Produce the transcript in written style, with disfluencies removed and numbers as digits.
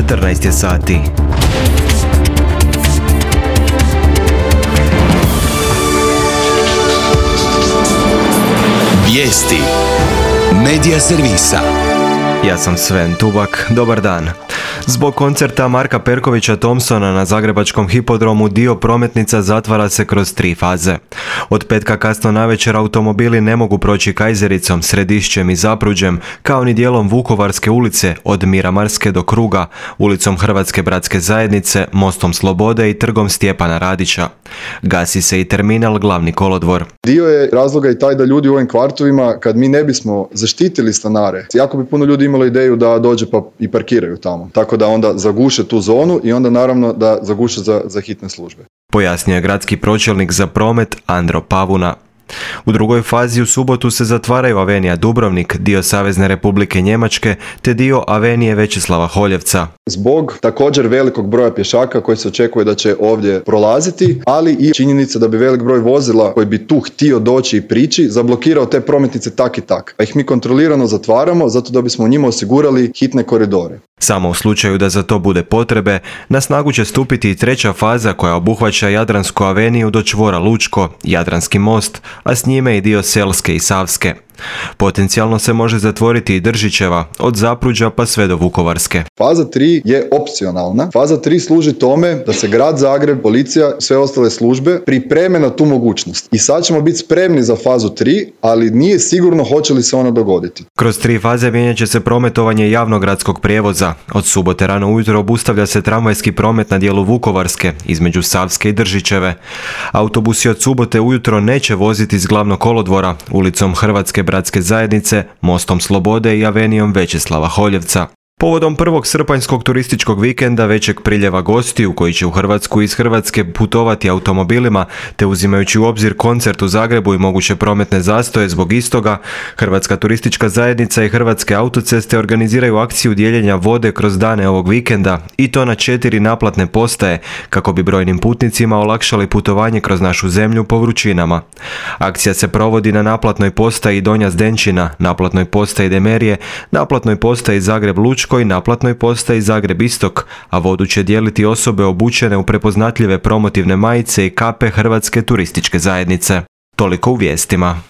14 je sati. Vijesti Medija servisa. Ja sam Sven Tubak, dobar dan. Zbog koncerta Marka Perkovića Thompsona na zagrebačkom hipodromu dio prometnica zatvara se kroz 3 faze. Od petka kasno navečer automobili ne mogu proći Kajzericom, Središćem i Zapruđem, kao ni dijelom Vukovarske ulice od Miramarske do Kruga, ulicom Hrvatske bratske zajednice, Mostom Slobode i Trgom Stjepana Radića. Gasi se i terminal Glavni kolodvor. Dio je razloga i taj da ljudi u ovim kvartovima, kad mi ne bismo zaštitili stanare, jako bi puno ljudi imalo ideju da dođe pa i parkiraju tamo. Tako da onda zaguše tu zonu i onda naravno da zaguše za hitne službe. Pojasnio je gradski pročelnik za promet Andro Pavuna. U drugoj fazi u subotu se zatvaraju Avenija Dubrovnik, dio Savezne Republike Njemačke, te dio Avenije Večislava Holjevca. Zbog također velikog broja pješaka koji se očekuje da će ovdje prolaziti, ali i činjenica da bi velik broj vozila koji bi tu htio doći i prići zablokirao te prometnice tak i tak. Pa ih mi kontrolirano zatvaramo zato da bismo u njima osigurali hitne koridore. Samo u slučaju da za to bude potrebe, na snagu će stupiti i treća faza koja obuhvaća Jadransku aveniju do čvora Lučko, Jadranski most, a s njime i dio Selske i Savske. Potencijalno se može zatvoriti i Držićeva, od Zapruđa pa sve do Vukovarske. Faza 3 je opcionalna. Faza 3 služi tome da se grad Zagreb, policija, sve ostale službe pripreme na tu mogućnost. I sad ćemo biti spremni za fazu 3, ali nije sigurno hoće li se ona dogoditi. Kroz 3 faze mijenjat će se prometovanje javnog gradskog prijevoza. Od subote rano ujutro obustavlja se tramvajski promet na dijelu Vukovarske, između Savske i Držićeve. Autobusi od subote ujutro neće voziti iz Glavnog kolodvora, ulicom Hrvatske bratske zajednice, Mostom Slobode i Avenijom Večislava Holjevca. Povodom prvog srpanjskog turističkog vikenda većeg priljeva gostiju koji će u Hrvatsku iz Hrvatske putovati automobilima, te uzimajući u obzir koncert u Zagrebu i moguće prometne zastoje zbog istoga, Hrvatska turistička zajednica i Hrvatske autoceste organiziraju akciju dijeljenja vode kroz dane ovog vikenda i to na 4 naplatne postaje kako bi brojnim putnicima olakšali putovanje kroz našu zemlju po vrućinama. Akcija se provodi na naplatnoj postaji Donja Zdenčina, naplatnoj postaji Demerije, naplatnoj postaji Zagreb Lučko i naplatnoj postaji Zagreb Istok, a vodu će dijeliti osobe obučene u prepoznatljive promotivne majice i kape Hrvatske turističke zajednice. Toliko u vijestima.